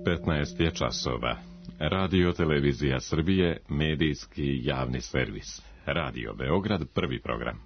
15 je časova. Radio Televizija Srbije, medijski javni servis. Radio Beograd, prvi program.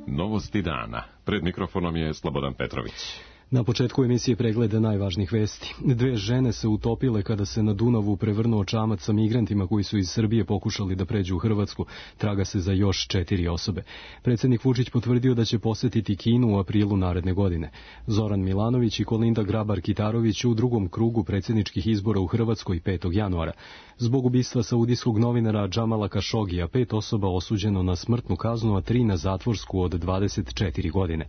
Novosti dana. Pred mikrofonom je Slobodan Petrović. Na početku emisije pregleda najvažnijih vesti. 2 žene se utopile kada se na Dunavu prevrnuo čamac sa migrantima koji su iz Srbije pokušali da pređu u Hrvatsku. Traga se za još 4 osobe. Predsjednik Vučić potvrdio da će posetiti Kinu u aprilu naredne godine. Zoran Milanović i Kolinda Grabar-Kitarović u drugom krugu predsjedničkih izbora u Hrvatskoj 5. januara. Zbog ubistva saudijskog novinara Džamala Kašogija 5 osoba osuđeno na smrtnu kaznu, a 3 na zatvorsku od 24 godine.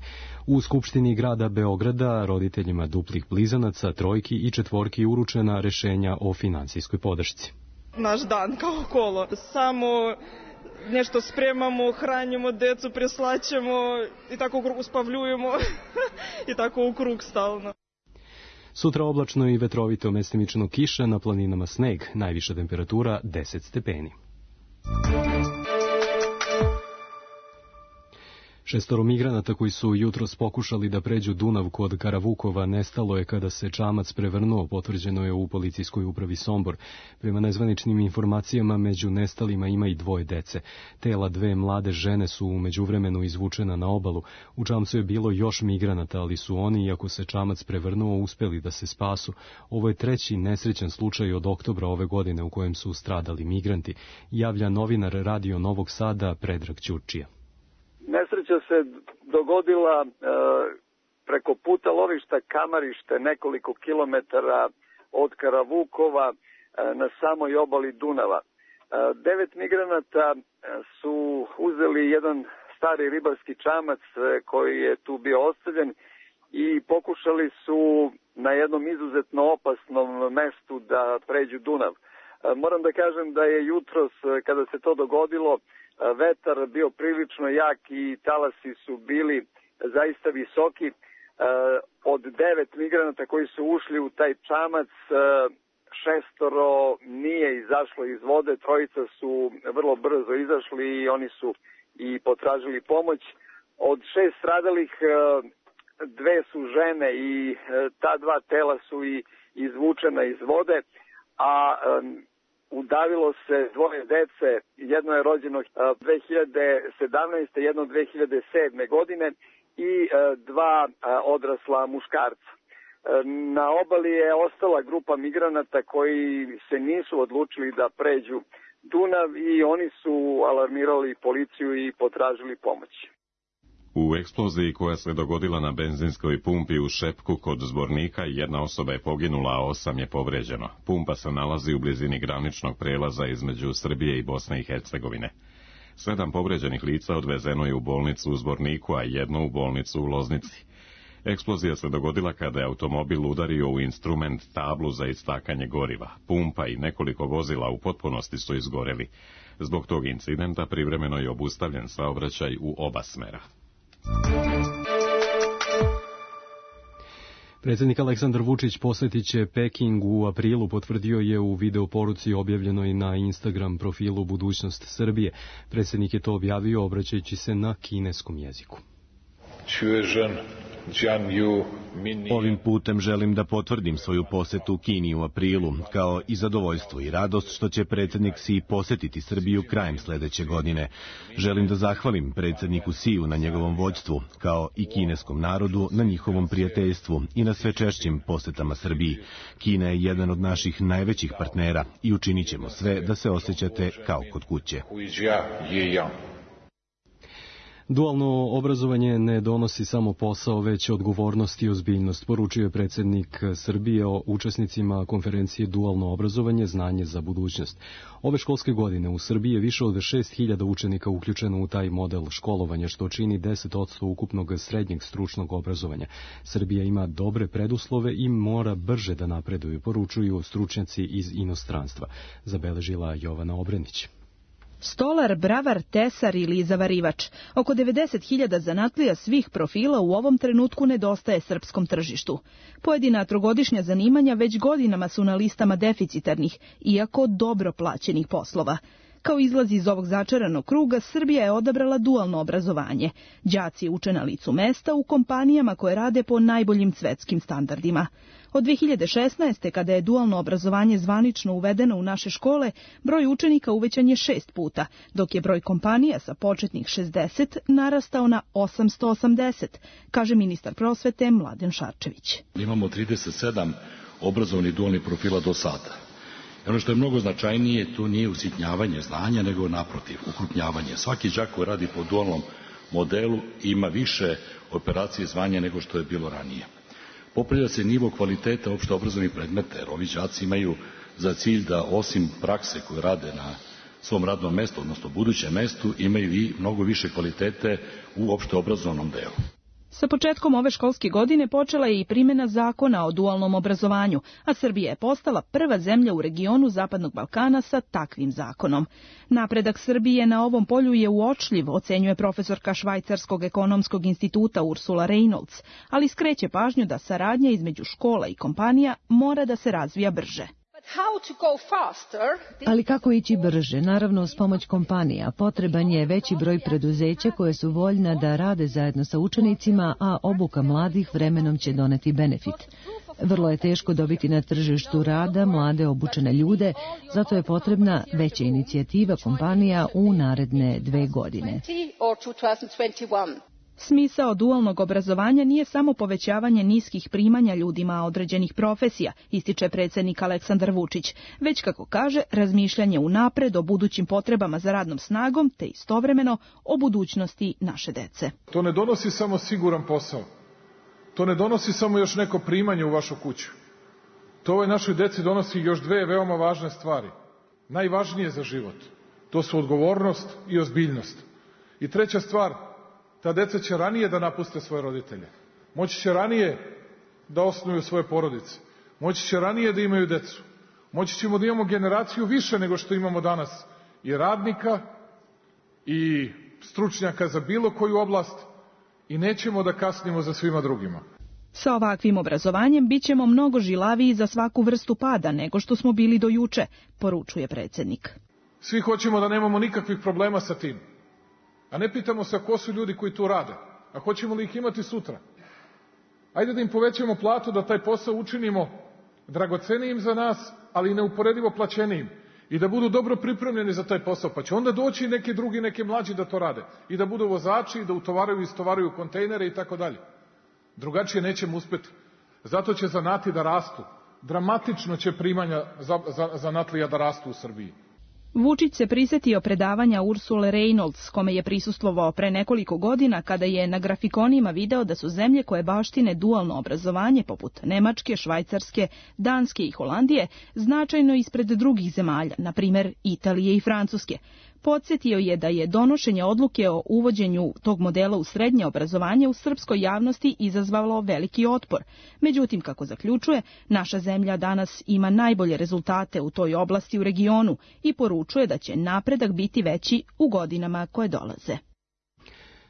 U Skupštini grada Beograda roditeljima duplih blizanaca, trojki i četvorki uručena rešenja o finansijskoj podršci. Naš dan kao kolo. Samo nešto spremamo, hranimo decu, preslaćemo i tako uspavljujemo i tako u krug stalno. Sutra oblačno i vetrovito, mestimično kiša, na planinama sneg, najviša temperatura 10 stepeni. 6 migranata koji su jutros pokušali da pređu Dunav kod Karavukova nestalo je kada se čamac prevrnuo, potvrđeno je u policijskoj upravi Sombor. Prema nezvaničnim informacijama među nestalima ima i 2 dece. Tela 2 mlade žene su u međuvremenu izvučena na obalu. U čamcu je bilo još migranata, ali su oni, iako se čamac prevrnuo, uspeli da se spasu. Ovo je 3. nesrećan slučaj od oktobra ove godine u kojem su stradali migranti, javlja novinar Radio Novog Sada Predrag Ćurčija. Nesreća se dogodila preko puta lovišta Kamarište, nekoliko kilometara od Karavukova na samoj obali Dunava. 9 migranata su uzeli jedan stari ribarski čamac koji je tu bio ostavljen i pokušali su na jednom izuzetno opasnom mestu da pređu Dunav. Moram da kažem da je jutros, kada se to dogodilo, vetar bio prilično jak i talasi su bili zaista visoki. Od 9 migranata koji su ušli u taj čamac, 6 nije izašlo iz vode, 3 su vrlo brzo izašli i oni su i potražili pomoć. Od 6 stradalih 2 su žene i ta 2 tela su i izvučena iz vode, a udavilo se 2 dece, jedno je rođeno 2017. jedno 2007. godine i 2 odrasla muškarca. Na obali je ostala grupa migranata koji se nisu odlučili da pređu Dunav i oni su alarmirali policiju i potražili pomoć. U eksploziji koja se dogodila na benzinskoj pumpi u Šepku kod Zbornika 1 osoba je poginula, a 8 je povređeno. Pumpa se nalazi u blizini graničnog prelaza između Srbije i Bosne i Hercegovine. 7 povređenih lica odvezeno je u bolnicu u Zborniku, a 1 u bolnicu u Loznici. Eksplozija se dogodila kada je automobil udario u instrument tablu za istakanje goriva. Pumpa i nekoliko vozila u potpunosti su izgoreli. Zbog tog incidenta privremeno je obustavljen saobraćaj u oba smera. Predsjednik Aleksandar Vučić posjetit će Peking u aprilu, potvrdio je u videoporuci objavljenoj na Instagram profilu Budućnost Srbije. Predsjednik je to objavio obraćajući se na kineskom jeziku. Ovim putem želim da potvrdim svoju posetu Kini u aprilu, kao i zadovoljstvo i radost što će predsjednik Xi posjetiti Srbiju krajem sljedeće godine. Želim da zahvalim predsjedniku Xiu na njegovom vođstvu, kao i kineskom narodu na njihovom prijateljstvu i na sve češćim posjetama Srbiji. Kina je jedan od naših najvećih partnera i učinit ćemo sve da se osjećate kao kod kuće. Dualno obrazovanje ne donosi samo posao, već odgovornost i ozbiljnost, poručio je predsjednik Srbije o učesnicima konferencije Dualno obrazovanje, znanje za budućnost. Ove školske godine u Srbiji je više od 6.000 učenika uključeno u taj model školovanja, što čini 10% ukupnog srednjeg stručnog obrazovanja. Srbija ima dobre preduslove i mora brže da napreduje, poručuju stručnjaci iz inostranstva, zabeležila Jovana Obrenić. Stolar, bravar, tesar ili zavarivač. Oko 90.000 zanatlija svih profila u ovom trenutku nedostaje srpskom tržištu. Pojedina trogodišnja zanimanja već godinama su na listama deficitarnih, iako dobro plaćenih poslova. Kao izlaz iz ovog začaranog kruga, Srbija je odabrala dualno obrazovanje. Đaci uče na licu mesta u kompanijama koje rade po najboljim svetskim standardima. Od 2016. kada je dualno obrazovanje zvanično uvedeno u naše škole, broj učenika uvećan je 6 puta, dok je broj kompanija sa početnih 60 narastao na 880, kaže ministar prosvete Mladen Šarčević. Imamo 37 obrazovnih dualnih profila do sada. Ono što je mnogo značajnije, to nije usitnjavanje znanja, nego naprotiv, ukrupnjavanje. Svaki đak koji radi po dualnom modelu ima više operacije zvanja nego što je bilo ranije. Popravlja se nivo kvaliteta opšte obrazovnih predmeta, jer ovi đaci imaju za cilj da osim prakse koje rade na svom radnom mestu, odnosno budućem mestu, imaju i mnogo više kvalitete u opšte obrazovnom delu. Sa početkom ove školske godine počela je i primjena zakona o dualnom obrazovanju, a Srbija je postala prva zemlja u regionu Zapadnog Balkana sa takvim zakonom. Napredak Srbije na ovom polju je uočljiv, ocenjuje profesorka Švajcarskog ekonomskog instituta Ursula Reynolds, ali skreće pažnju da saradnja između škola i kompanija mora da se razvija brže. Ali kako ići brže? Naravno, s pomoć kompanija. Potreban je veći broj preduzeća koje su voljna da rade zajedno sa učenicima, a obuka mladih vremenom će doneti benefit. Vrlo je teško dobiti na tržištu rada mlade obučene ljude, zato je potrebna veća inicijativa kompanija u naredne 2 godine. Smisao dualnog obrazovanja nije samo povećavanje niskih primanja ljudima određenih profesija, ističe predsjednik Aleksandar Vučić, već, kako kaže, razmišljanje unapred o budućim potrebama za radnom snagom, te istovremeno o budućnosti naše dece. To ne donosi samo siguran posao. To ne donosi samo još neko primanje u vašu kuću. To ovoj našoj deci donosi još 2 veoma važne stvari. Najvažnije za život. To su odgovornost i ozbiljnost. I treća stvar, ta deca će ranije da napuste svoje roditelje. Moći će ranije da osnuju svoje porodice. Moći će ranije da imaju decu. Moći ćemo da imamo generaciju više nego što imamo danas. I radnika, i stručnjaka za bilo koju oblast. I nećemo da kasnimo za svima drugima. Sa ovakvim obrazovanjem bit ćemo mnogo žilaviji za svaku vrstu pada nego što smo bili do juče, poručuje predsjednik. Svi hoćemo da nemamo nikakvih problema sa tim. A ne pitamo se ko su ljudi koji tu rade, a hoćemo li ih imati sutra. Ajde da im povećamo platu, da taj posao učinimo dragocenijim za nas, ali i neuporedivo plaćenijim. I da budu dobro pripremljeni za taj posao, pa će onda doći neki drugi, neki mlađi da to rade. I da budu vozači, i da utovaraju i istovaraju kontejnere i tako dalje. Drugačije nećemo uspeti. Zato će zanati da rastu. Dramatično će primanja zanatlija da rastu u Srbiji. Vučić se prisjetio predavanja Ursule Reynolds, kome je prisustvovao pre nekoliko godina kada je na grafikonima video da su zemlje koje baštine dualno obrazovanje poput Nemačke, Švajcarske, Danske i Holandije značajno ispred drugih zemalja, na primjer Italije i Francuske. Podsjetio je da je donošenje odluke o uvođenju tog modela u srednje obrazovanje u srpskoj javnosti izazvalo veliki otpor. Međutim, kako zaključuje, naša zemlja danas ima najbolje rezultate u toj oblasti u regionu i poručuje da će napredak biti veći u godinama koje dolaze.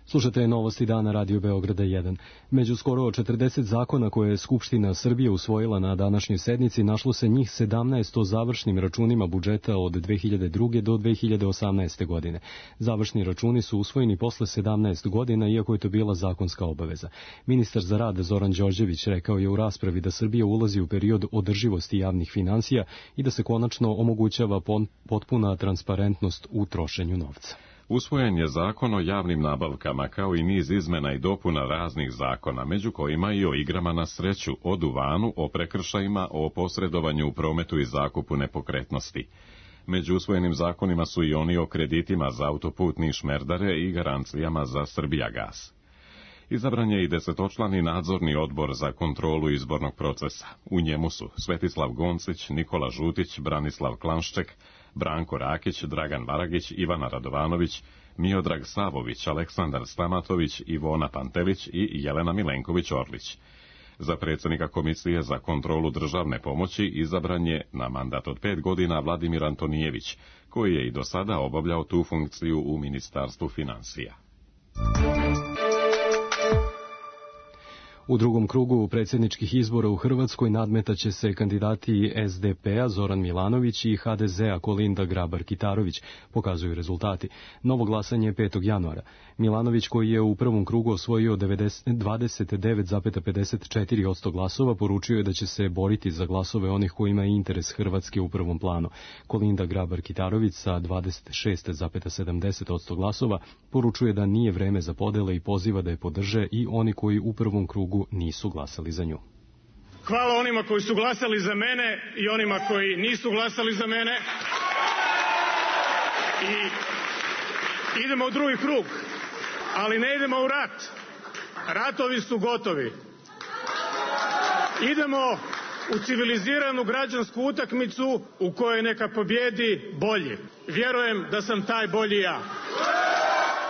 Slušate novosti dana Radio Beograda 1. Među skoro 40 zakona koje je Skupština Srbije usvojila na današnjoj sednici, našlo se njih 17 o završnim računima budžeta od 2002. do 2018. godine. Završni računi su usvojeni posle 17 godina, iako je to bila zakonska obaveza. Ministar za rad Zoran Đorđević rekao je u raspravi da Srbija ulazi u period održivosti javnih finansija i da se konačno omogućava potpuna transparentnost u trošenju novca. Usvojen je zakon o javnim nabavkama, kao i niz izmena i dopuna raznih zakona, među kojima i o igrama na sreću, o duvanu, o prekršajima, o posredovanju u prometu i zakupu nepokretnosti. Među usvojenim zakonima su i oni o kreditima za autoputni šmerdare i garancijama za Srbijagas. Izabran je i 10-člani nadzorni odbor za kontrolu izbornog procesa. U njemu su Svetislav Goncić, Nikola Žutić, Branislav Klanšček, Branko Rakić, Dragan Varagić, Ivana Radovanović, Miodrag Savović, Aleksandar Stamatović, Ivona Pantelić i Jelena Milenković-Orlić. Za predsjednika Komisije za kontrolu državne pomoći izabran je na mandat od 5 godina Vladimir Antonijević, koji je i do sada obavljao tu funkciju u Ministarstvu finansija. U drugom krugu predsjedničkih izbora u Hrvatskoj nadmetaće se kandidati SDP-a Zoran Milanović i HDZ-a Kolinda Grabar-Kitarović, pokazuju rezultati. Novo glasanje je 5. januara. Milanović, koji je u prvom krugu osvojio 29,54% glasova, poručio je da će se boriti za glasove onih kojima je interes Hrvatske u prvom planu. Kolinda Grabar-Kitarović sa 26,70% glasova poručuje da nije vreme za podele i poziva da je podrže i oni koji u prvom krugu nisu glasali za nju. Hvala onima koji su glasali za mene i onima koji nisu glasali za mene. I idemo u drugi krug, ali ne idemo u rat. Ratovi su gotovi. Idemo u civiliziranu građansku utakmicu u kojoj neka pobjedi bolji. Vjerujem da sam taj bolji ja.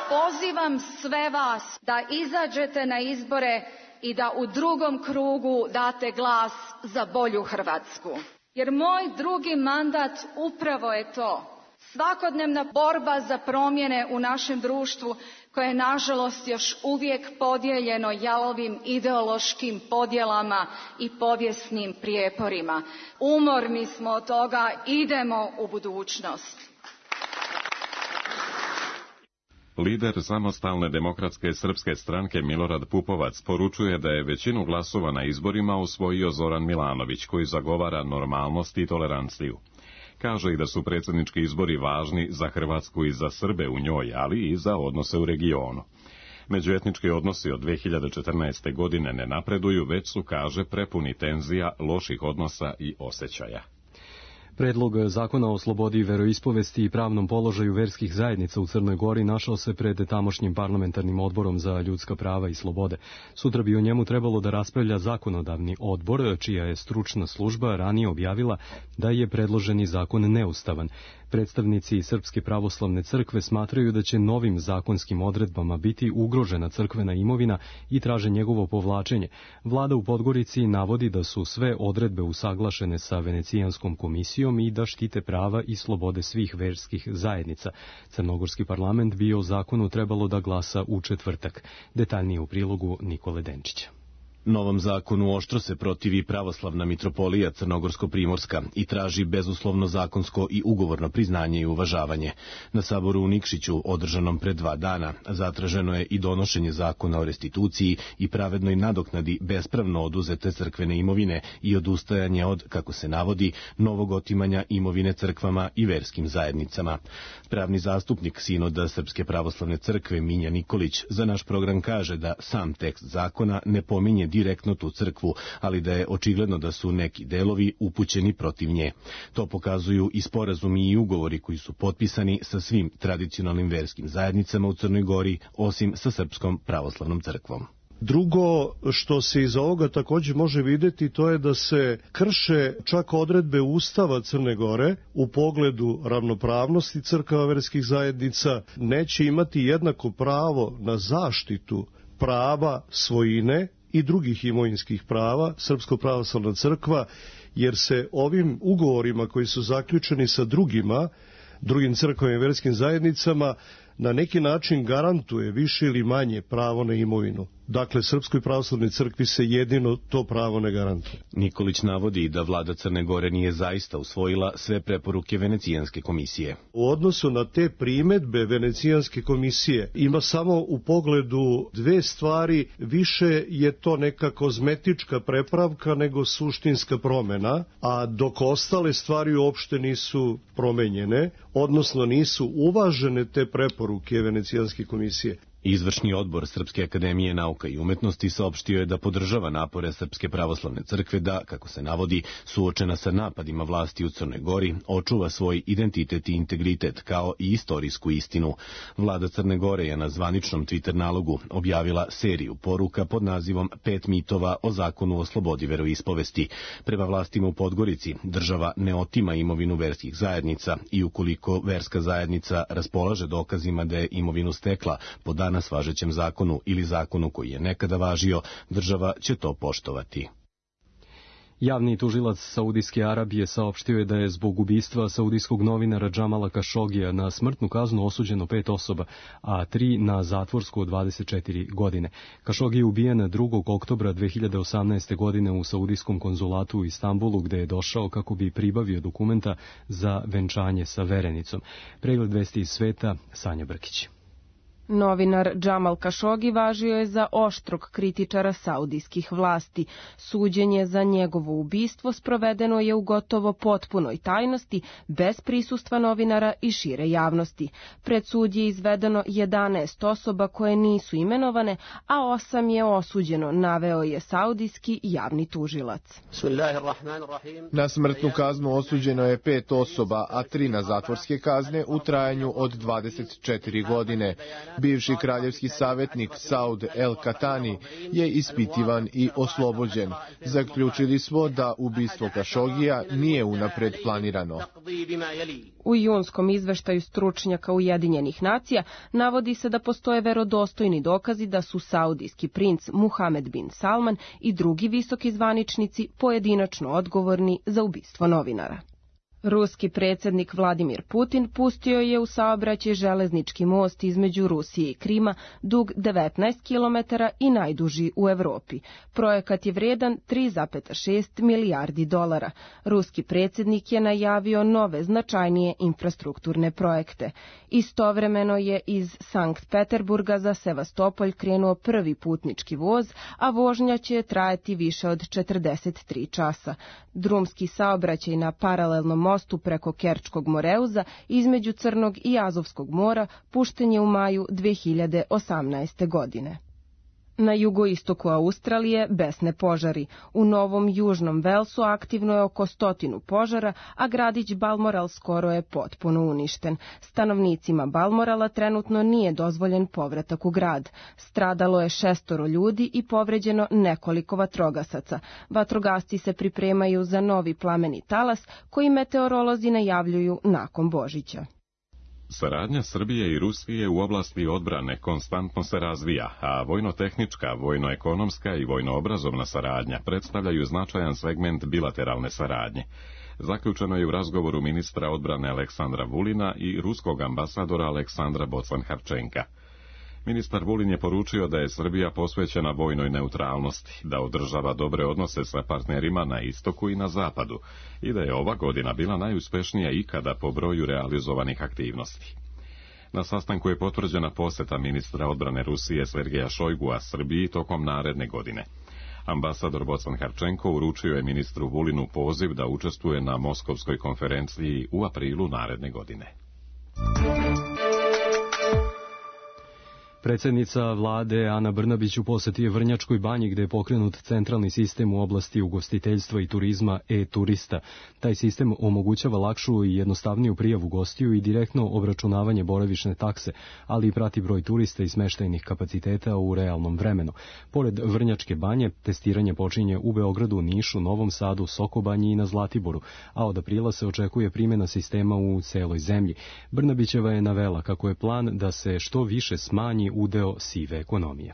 Pozivam sve vas da izađete na izbore i da u drugom krugu date glas za bolju Hrvatsku. Jer moj drugi mandat upravo je to. Svakodnevna borba za promjene u našem društvu koje je nažalost još uvijek podijeljeno jalovim ideološkim podjelama i povijesnim prijeporima. Umorni smo od toga, idemo u budućnost. Lider Samostalne demokratske srpske stranke Milorad Pupovac poručuje da je većinu glasova na izborima osvojio Zoran Milanović, koji zagovara normalnost i toleranciju. Kaže i da su predsjednički izbori važni za Hrvatsku i za Srbe u njoj, ali i za odnose u regionu. Međuetnički odnosi od 2014. godine ne napreduju, već su, kaže, prepuni tenzija, loših odnosa i osjećaja. Predlog zakona o slobodi veroispovesti i pravnom položaju verskih zajednica u Crnoj Gori našao se pred tamošnjim parlamentarnim odborom za ljudska prava i slobode. Sutra bi o njemu trebalo da raspravlja zakonodavni odbor, čija je stručna služba ranije objavila da je predloženi zakon neustavan. Predstavnici Srpske pravoslavne crkve smatraju da će novim zakonskim odredbama biti ugrožena crkvena imovina i traže njegovo povlačenje. Vlada u Podgorici navodi da su sve odredbe usaglašene sa Venecijanskom komisijom i da štite prava i slobode svih verskih zajednica. Crnogorski parlament bi o zakonu trebalo da glasa u četvrtak. Detaljnije u prilogu Nikole Denčića. Novom zakonu oštro se protivi pravoslavna mitropolija Crnogorsko-Primorska i traži bezuslovno zakonsko i ugovorno priznanje i uvažavanje. Na saboru u Nikšiću, održanom pred 2 dana, zatraženo je i donošenje zakona o restituciji i pravednoj nadoknadi bespravno oduzete crkvene imovine i odustajanje od, kako se navodi, novog otimanja imovine crkvama i verskim zajednicama. Pravni zastupnik Sinoda Srpske pravoslavne crkve Minja Nikolić za naš program kaže da sam tekst zakona ne pominje direktno tu crkvu, ali da je očigledno da su neki delovi upućeni protiv nje. To pokazuju i sporazumi i ugovori koji su potpisani sa svim tradicionalnim verskim zajednicama u Crnoj Gori, osim sa Srpskom pravoslavnom crkvom. Drugo što se iz ovoga također može vidjeti, to je da se krše čak odredbe Ustava Crne Gore u pogledu ravnopravnosti crkava verskih zajednica, neće imati jednako pravo na zaštitu prava svojine i drugih imovinskih prava Srpska pravoslavna crkva, jer se ovim ugovorima koji su zaključeni sa drugim crkvama i verskim zajednicama na neki način garantuje više ili manje pravo na imovinu. Dakle, Srpskoj pravoslavnoj crkvi se jedino to pravo ne garantuje. Nikolić navodi da vlada Crne Gore nije zaista usvojila sve preporuke Venecijanske komisije. U odnosu na te primedbe Venecijanske komisije ima samo u pogledu 2 stvari, više je to neka kozmetička prepravka nego suštinska promjena, a dok ostale stvari uopšte nisu promenjene, odnosno nisu uvažene te preporuke Venecijanske komisije. Izvršni odbor Srpske akademije nauka i umetnosti saopštio je da podržava napore Srpske pravoslavne crkve da, kako se navodi, suočena sa napadima vlasti u Crnoj Gori, očuva svoj identitet i integritet kao i istorijsku istinu. Vlada Crne Gore je na zvaničnom Twitter nalogu objavila seriju poruka pod nazivom 5 mitova o zakonu o slobodi veroispovesti. Prema vlastima u Podgorici, država ne otima imovinu verskih zajednica i ukoliko verska zajednica raspolaže dokazima da je imovinu stekla po danas važećem zakonu ili zakonu koji je nekada važio, država će to poštovati. Javni tužilac Saudijske Arabije saopštio je da je zbog ubistva saudijskog novinara Džamala Kašogija na smrtnu kaznu osuđeno 5 osoba, a 3 na zatvorsku od 24 godine. Kašogi je ubijen 2. oktobra 2018. godine u saudijskom konzulatu u Istanbulu, gde je došao kako bi pribavio dokumenta za venčanje sa verenicom. Pregled vesti iz sveta, Sanja Brkić. Novinar Džamal Kašogi važio je za oštrog kritičara saudijskih vlasti. Suđenje za njegovo ubistvo sprovedeno je u gotovo potpunoj tajnosti, bez prisustva novinara i šire javnosti. Pred sud je izvedeno 11 osoba koje nisu imenovane, a 8 je osuđeno, naveo je saudijski javni tužilac. Na smrtnu kaznu osuđeno je 5 osoba, a 3 na zatvorske kazne u trajanju od 24 godine. Bivši kraljevski savjetnik Saud El Katani je ispitivan i oslobođen. Zaključili smo da ubistvo Kašogija nije unapred planirano. U junskom izveštaju stručnjaka Ujedinjenih nacija navodi se da postoje verodostojni dokazi da su saudijski princ Muhamed bin Salman i drugi visoki zvaničnici pojedinačno odgovorni za ubistvo novinara. Ruski predsjednik Vladimir Putin pustio je u saobraćaj železnički most između Rusije i Krima, dug 19 km i najduži u Evropi. Projekat je vredan 3,6 milijardi dolara. Ruski predsjednik je najavio nove značajnije infrastrukturne projekte. Istovremeno je iz Sankt Peterburga za Sevastopolj krenuo prvi putnički voz, a vožnja će trajati više od 43 časa. Drumski saobraćaj na paralelnom mostu preko Kerčkog Moreuza između Crnog i Azovskog mora pušten je u maju 2018. godine. Na jugoistoku Australije besne požari. U Novom Južnom Velsu aktivno je oko 100 požara, a gradić Balmoral skoro je potpuno uništen. Stanovnicima Balmorala trenutno nije dozvoljen povratak u grad. Stradalo je 6 ljudi i povređeno nekoliko vatrogasaca. Vatrogasci se pripremaju za novi plameni talas koji meteorolozi najavljuju nakon Božića. Saradnja Srbije i Rusije u oblasti odbrane konstantno se razvija, a vojno-tehnička, vojno-ekonomska i vojno-obrazovna saradnja predstavljaju značajan segment bilateralne saradnje. Zaključeno je u razgovoru ministra odbrane Aleksandra Vulina i ruskog ambasadora Aleksandra Bocan-Harčenka. Ministar Vulin je poručio da je Srbija posvećena vojnoj neutralnosti, da održava dobre odnose sa partnerima na istoku i na zapadu i da je ova godina bila najuspešnija ikada po broju realizovanih aktivnosti. Na sastanku je potvrđena poseta ministra odbrane Rusije Sergeja Šojgua Srbiji tokom naredne godine. Ambasador Bocan-Harčenko uručio je ministru Vulinu poziv da učestvuje na Moskovskoj konferenciji u aprilu naredne godine. Predsjednica vlade Ana Brnabić u poseti je Vrnjačkoj banji gde je pokrenut centralni sistem u oblasti ugostiteljstva i turizma e-turista. Taj sistem omogućava lakšu i jednostavniju prijavu gostiju i direktno obračunavanje boravišne takse, ali i prati broj turista i smeštajnih kapaciteta u realnom vremenu. Pored Vrnjačke banje, testiranje počinje u Beogradu, Nišu, Novom Sadu, Sokobanji i na Zlatiboru, a od aprila se očekuje primjena sistema u celoj zemlji. Brnabićeva je navela kako je plan da se što više smanji udeo sive ekonomije.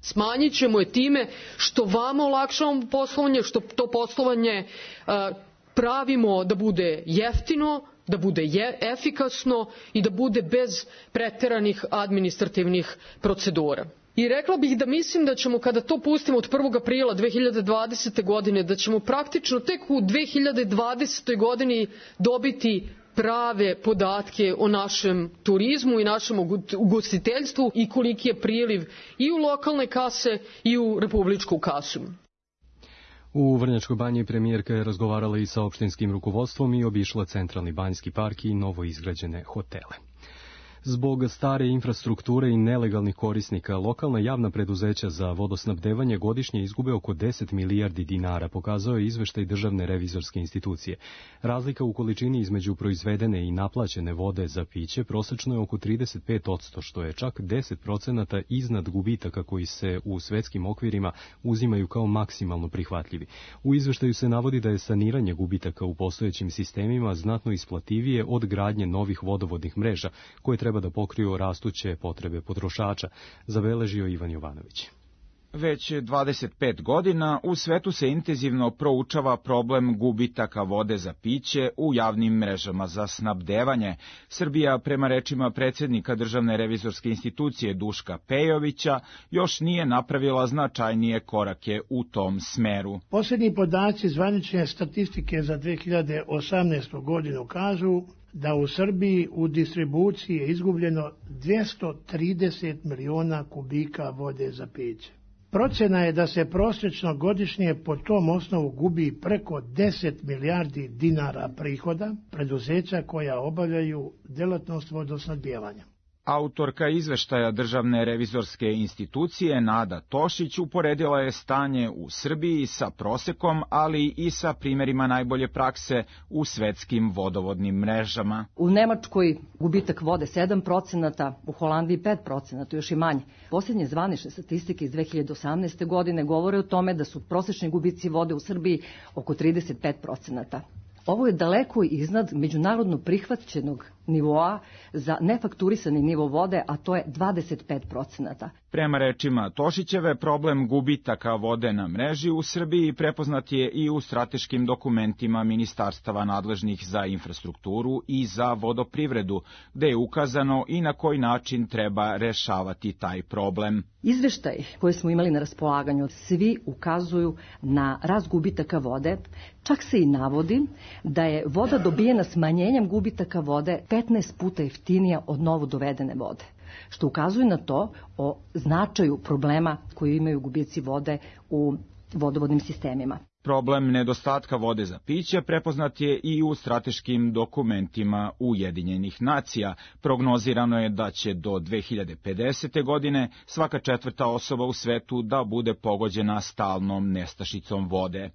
Smanjit ćemo je time što vama olakšavamo poslovanje, što to poslovanje pravimo da bude jeftino, da bude efikasno i da bude bez preteranih administrativnih procedura. I rekla bih da mislim da ćemo kada to pustimo od 1. aprila 2020. godine, da ćemo praktično tek u 2020. godini dobiti prave podatke o našem turizmu i našem ugostiteljstvu i koliki je priliv i u lokalne kase i u republičku kasu. U Vrnjačkoj banji premijerka je razgovarala i sa opštinskim rukovodstvom i obišla centralni banjski park i novo izgrađene hotele. Zbog stare infrastrukture i nelegalnih korisnika, lokalna javna preduzeća za vodosnabdevanje godišnje izgube oko 10 milijardi dinara, pokazao je izveštaj Državne revizorske institucije. Razlika u količini između proizvedene i naplaćene vode za piće prosečno je oko 35%, što je čak 10% iznad gubitaka koji se u svetskim okvirima uzimaju kao maksimalno prihvatljivi. U izveštaju se navodi da je saniranje gubitaka u postojećim sistemima znatno isplativije od gradnje novih vodovodnih mreža, koje treba da pokriju rastuće potrebe potrošača, zabeležio Ivan Jovanović. Već 25 godina u svetu se intenzivno proučava problem gubitaka vode za piće u javnim mrežama za snabdevanje. Srbija, prema rečima predsjednika Državne revizorske institucije Duška Pejovića, još nije napravila značajnije korake u tom smeru. Posljednji podaci zvanične statistike za 2018. godinu kažu da u Srbiji u distribuciji je izgubljeno 230 miliona kubika vode za piće. Procena je da se prosječno godišnje po tom osnovu gubi preko 10 milijardi dinara prihoda preduzeća koja obavljaju delatnost vodosnabdijevanja. Autorka izveštaja Državne revizorske institucije Nada Tošić uporedila je stanje u Srbiji sa prosekom, ali i sa primjerima najbolje prakse u svetskim vodovodnim mrežama. U Nemačkoj gubitak vode 7%, u Holandiji 5%, još i manje. Posljednje zvanične statistike iz 2018. godine govore o tome da su prosječni gubici vode u Srbiji oko 35%. Ovo je daleko iznad međunarodno prihvaćenog nivoa za nefakturisani nivo vode, a to je 25%. Prema rečima Tošićeve, problem gubitaka vode na mreži u Srbiji prepoznat je i u strateškim dokumentima ministarstava nadležnih za infrastrukturu i za vodoprivredu, gde je ukazano i na koji način treba rešavati taj problem. Izveštaj koje smo imali na raspolaganju, svi ukazuju na rast gubitaka vode, čak se i navodi da je voda dobijena smanjenjem gubitaka vode 15 puta jeftinija od novo dovedene vode, što ukazuje na to o značaju problema koji imaju gubici vode u vodovodnim sistemima. Problem nedostatka vode za piće prepoznat je i u strateškim dokumentima Ujedinjenih nacija. Prognozirano je da će do 2050. godine svaka 4. osoba u svetu da bude pogođena stalnom nestašicom vode.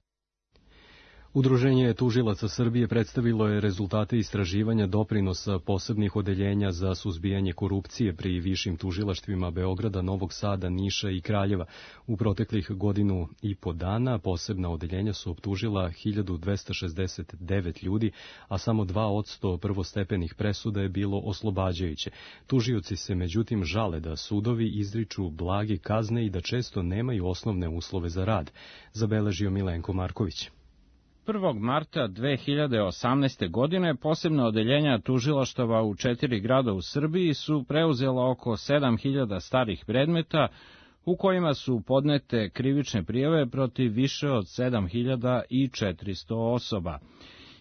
Udruženje tužilaca Srbije predstavilo je rezultate istraživanja doprinosa posebnih odeljenja za suzbijanje korupcije pri višim tužilaštvima Beograda, Novog Sada, Niša i Kraljeva. U proteklih godinu i po dana posebna odeljenja su optužila 1269 ljudi, a samo 2% prvostepenih presuda je bilo oslobađajuće. Tužioci se međutim žale da sudovi izriču blage kazne i da često nemaju osnovne uslove za rad, zabeležio Milenko Marković. 1. marta 2018. godine posebna odeljenja tužilaštava u 4 grada u Srbiji su preuzela oko 7000 starih predmeta u kojima su podnete krivične prijave protiv više od 7400 osoba.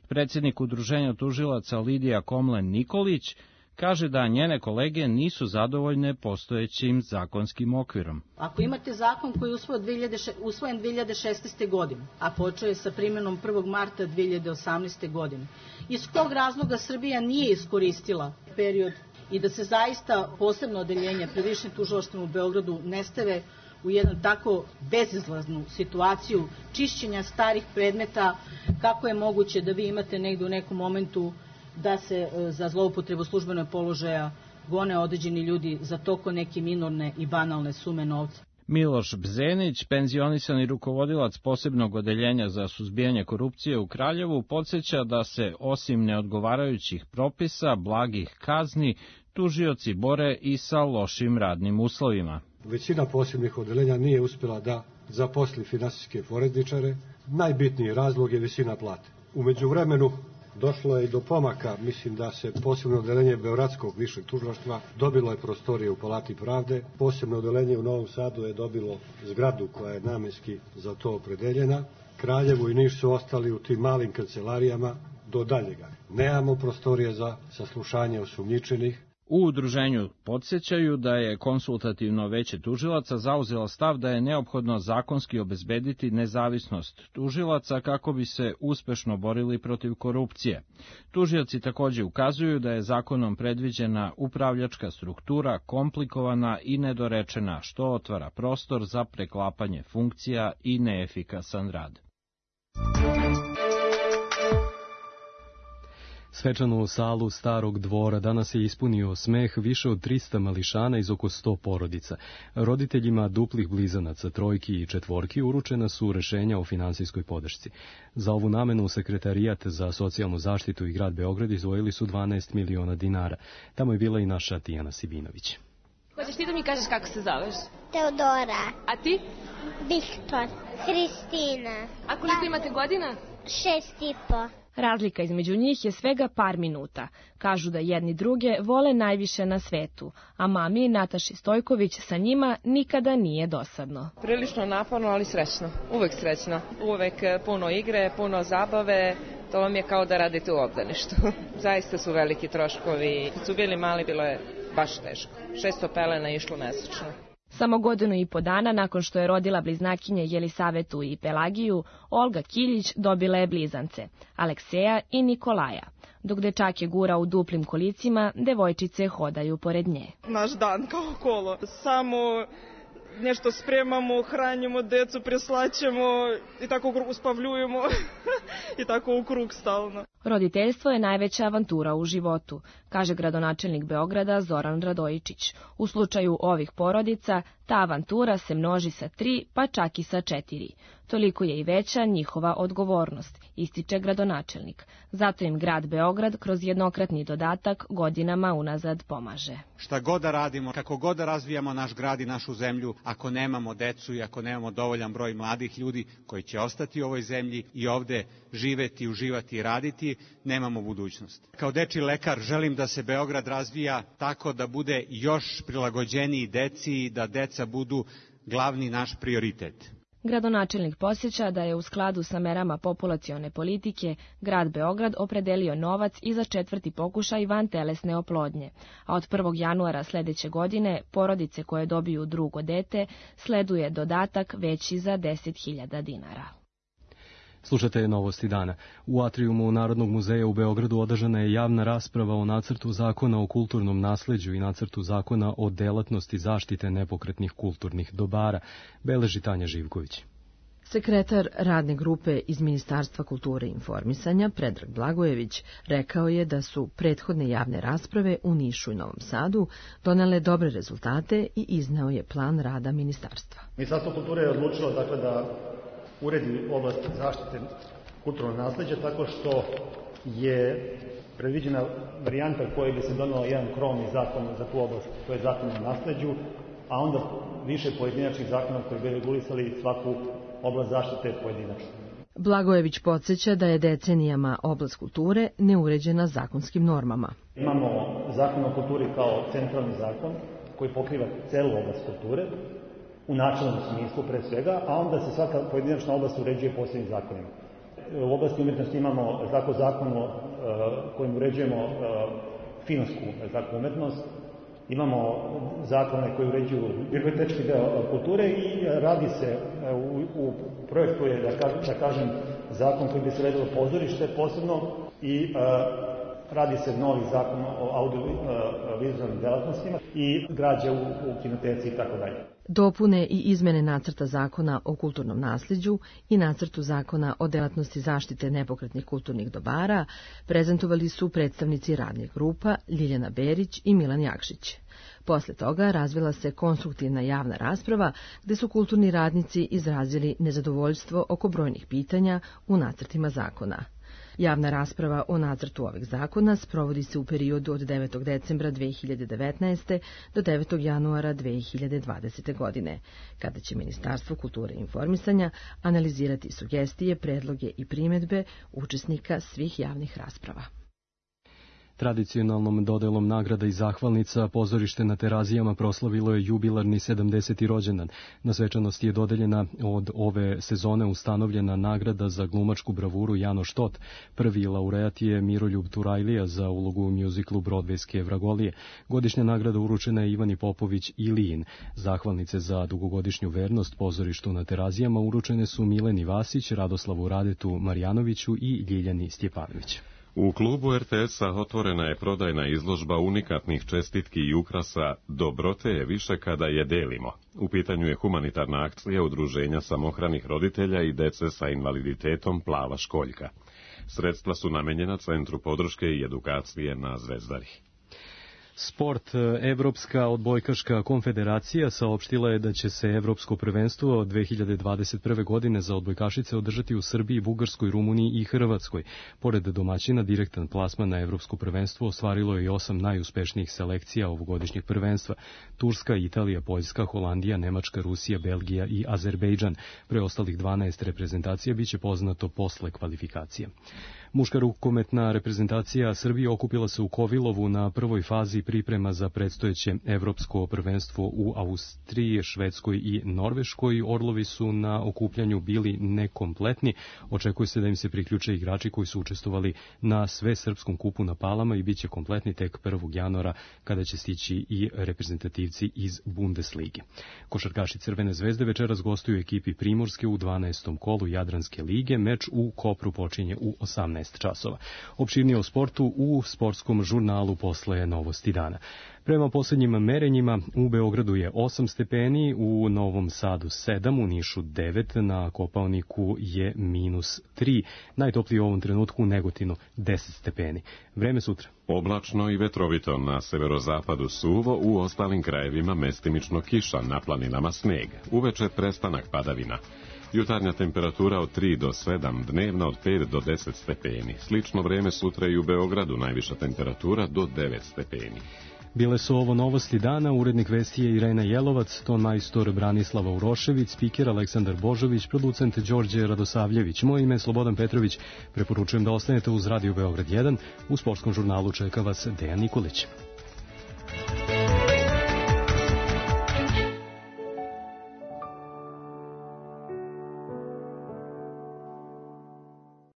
Predsjednik Udruženja tužilaca Lidija Komlen-Nikolić kaže da njene kolege nisu zadovoljne postojećim zakonskim okvirom. Ako imate zakon koji je usvojen 2016. godine, a počeo je sa primjenom 1. marta 2018. godine, iz kog razloga Srbija nije iskoristila period i da se zaista posebno odeljenje pri višim tužilaštvima u Beogradu ne stave u jednu tako bezizlaznu situaciju čišćenja starih predmeta, kako je moguće da vi imate negde u nekom momentu da se za zloupotrebu službenog položaja gone određeni ljudi za toko neke minorne i banalne sume novca. Miloš Bzenić, penzionisani rukovodilac posebnog odeljenja za suzbijanje korupcije u Kraljevu, podsjeća da se osim neodgovarajućih propisa, blagih kazni, tužioci bore i sa lošim radnim uslovima. Većina posebnih odeljenja nije uspjela da zaposli finansijske forenzičare. Najbitniji razlog je visina plate. U međuvremenu došlo je i do pomaka, mislim da se posebno odeljenje Beogradskog višeg tužilaštva dobilo je prostorije u Palati pravde. Posebno odeljenje u Novom Sadu je dobilo zgradu koja je namenski za to opredeljena. Kraljevo i Niš su ostali u tim malim kancelarijama do daljega. Nemamo prostorije za saslušanje osumnjičenih. U udruženju podsjećaju da je konsultativno veće tužilaca zauzelo stav da je neophodno zakonski obezbediti nezavisnost tužilaca kako bi se uspešno borili protiv korupcije. Tužioci također ukazuju da je zakonom predviđena upravljačka struktura komplikovana i nedorečena, što otvara prostor za preklapanje funkcija i neefikasan rad. Svečanu salu Starog dvora danas je ispunio smeh više od 300 mališana iz oko 100 porodica. Roditeljima duplih blizanaca, trojki i četvorki uručena su rešenja o finansijskoj podršci. Za ovu namenu Sekretarijat za socijalnu zaštitu i grad Beograd izdvojili su 12 miliona dinara. Tamo je bila i naša Tijana Sibinović. Hoćeš ti da mi kažeš kako se zoveš? Teodora. A ti? Viktor. Kristina. A koliko imate godina? 6,5. Razlika između njih je svega par minuta. Kažu da jedni druge vole najviše na svetu, a mami Nataši Stojković sa njima nikada nije dosadno. Prilično naporno, ali srećno. Uvek srećno. Uvek puno igre, puno zabave. To vam je kao da radite u obdaništu. Zaista su veliki troškovi. Kad su bili mali, bilo je baš teško. 600 pelena išlo mesečno. Samo 1,5 godina nakon što je rodila bliznakinje Jelisavetu i Pelagiju, Olga Kiljić dobila je blizance, Alekseja i Nikolaja. Dok dečake gura u duplim kolicima, devojčice hodaju pored nje. Naš dan kao kolo. Samo nešto spremamo, hranimo decu, preslaćemo i tako uspavljujemo i tako u krug stalno. Roditeljstvo je najveća avantura u životu, kaže gradonačelnik Beograda Zoran Radojičić. U slučaju ovih porodica, ta avantura se množi sa 3, pa čak i sa 4. Toliko je i veća njihova odgovornost, ističe gradonačelnik. Zato im grad Beograd kroz jednokratni dodatak godinama unazad pomaže. Šta god da radimo, kako god da razvijamo naš grad i našu zemlju, ako nemamo decu i ako nemamo dovoljan broj mladih ljudi koji će ostati u ovoj zemlji i ovde živeti, uživati i raditi, nemamo budućnost. Kao dečiji lekar želim da se Beograd razvija tako da bude još prilagođeniji deci i da deca budu glavni naš prioritet. Gradonačelnik podsjeća da je u skladu sa merama populacione politike grad Beograd opredelio novac i za 4. pokušaj vantelesne oplodnje, a od 1. januara sledeće godine porodice koje dobiju drugo dete sleduje dodatak veći za 10.000 dinara. Slušate novosti dana. U atrijumu Narodnog muzeja u Beogradu održana je javna rasprava o nacrtu zakona o kulturnom nasleđu i nacrtu zakona o delatnosti zaštite nepokretnih kulturnih dobara, beleži Tanja Živković. Sekretar radne grupe iz Ministarstva kulture i informisanja, Predrag Blagojević, rekao je da su prethodne javne rasprave u Nišu i Novom Sadu donele dobre rezultate i izneo je plan rada ministarstva. Ministarstvo kulture je odlučilo da uredi oblast zaštite kulturnog nasleđa tako što je predviđena varijanta koja bi se donela jedan krovni zakon za tu oblast, to je zakon o nasleđu, a onda više pojedinačnih zakona koji bi regulisali svaku oblast zaštite pojedinačno. Blagojević podsjeća da je decenijama oblast kulture neuređena zakonskim normama. Imamo zakon o kulturi kao centralni zakon koji pokriva celu oblast kulture, u načelnom smislu pre svega, a onda se svaka pojedinačna oblast uređuje posebnim zakonima. U oblasti umjetnosti imamo zakon kojim uređujemo filmsku umetnost, imamo zakone koji uređuju bibliotečki deo kulture i radi se, u projektu je, da kažem, zakon koji bi se uredilo pozorište posebno i radi se novi zakon o audiovizualnim delatnostima i građe u kinoteci i tako dalje. Dopune i izmene nacrta zakona o kulturnom nasleđu i nacrtu zakona o delatnosti zaštite nepokretnih kulturnih dobara prezentovali su predstavnici radnih grupa Ljiljana Berić i Milan Jakšić. Posle toga razvila se konstruktivna javna rasprava gde su kulturni radnici izrazili nezadovoljstvo oko brojnih pitanja u nacrtima zakona. Javna rasprava o nacrtu ovih zakona sprovodi se u periodu od 9. decembra 2019. do 9. januara 2020. godine, kada će Ministarstvo kulture i informisanja analizirati sugestije, predloge i primedbe učesnika svih javnih rasprava. Tradicionalnom dodelom nagrada i zahvalnica pozorište na Terazijama proslavilo je jubilarni 70. rođendan. Na svečanosti je dodeljena od ove sezone ustanovljena nagrada za glumačku bravuru Janoš Tot. Prvi laureat je Miroljub Turajlija za ulogu u mjuziklu Brodvejske vragolije. Godišnja nagrada uručena je Ivani Popović Ilijin. Zahvalnice za dugogodišnju vernost pozorištu na Terazijama uručene su Mileni Vasić, Radoslavu Radetu Marjanoviću i Ljiljani Stjepanović. U klubu RTS-a otvorena je prodajna izložba unikatnih čestitki i ukrasa Dobrote je više kada je delimo. U pitanju je humanitarna akcija Udruženja samohranih roditelja i dece sa invaliditetom Plava školjka. Sredstva su namenjena Centru podrške i edukacije na Zvezdari. Sport. Evropska odbojkaška konfederacija saopštila je da će se Evropsko prvenstvo od 2021. godine za odbojkašice održati u Srbiji, Bugarskoj, Rumuniji i Hrvatskoj. Pored domaćina, direktan plasman na Evropsko prvenstvo ostvarilo je i 8 najuspešnijih selekcija ovogodišnjeg prvenstva. Turska, Italija, Poljska, Holandija, Nemačka, Rusija, Belgija i Azerbejdžan. Preostalih 12 reprezentacija biće poznato posle kvalifikacija. Muška rukometna reprezentacija Srbije okupila se u Kovilovu na prvoj fazi priprema za predstojeće evropsko prvenstvo u Austriji, Švedskoj i Norveškoj. Orlovi su na okupljanju bili nekompletni. Očekuje se da im se priključe igrači koji su učestvovali na svesrpskom kupu na Palama i bit će kompletni tek 1. januara kada će stići i reprezentativci iz Bundeslige. Košarkaši Crvene zvezde večeras gostuju ekipi Primorske u 12. kolu Jadranske lige. Meč u Kopru počinje u 18 časova. Opširnije o sportu u sportskom žurnalu posle Novosti dana. Prema poslednjim merenjima u Beogradu je 8 stepeni, u Novom Sadu 7, u Nišu 9, na Kopaoniku je -3. Najtopliji u ovom trenutku u Negotinu 10 stepeni. Vreme sutra. Oblačno i vetrovito, na severozapadu suvo, u ostalim krajevima mestimično kiša, na planinama sneg. Uveče prestanak padavina. Jutarnja temperatura od 3 do 7, dnevna od 5 do 10 stepeni. Slično vreme sutra i u Beogradu, najviša temperatura do 9 stepeni. Bile su ovo Novosti dana, urednik vesti je Irena Jelovac, ton majstor Branislava Urošević, spiker Aleksandar Božović, producent Đorđe Radosavljević. Moje ime je Slobodan Petrović, preporučujem da ostanete uz Radio Beograd 1, u sportskom žurnalu čeka vas Dejan Nikolić.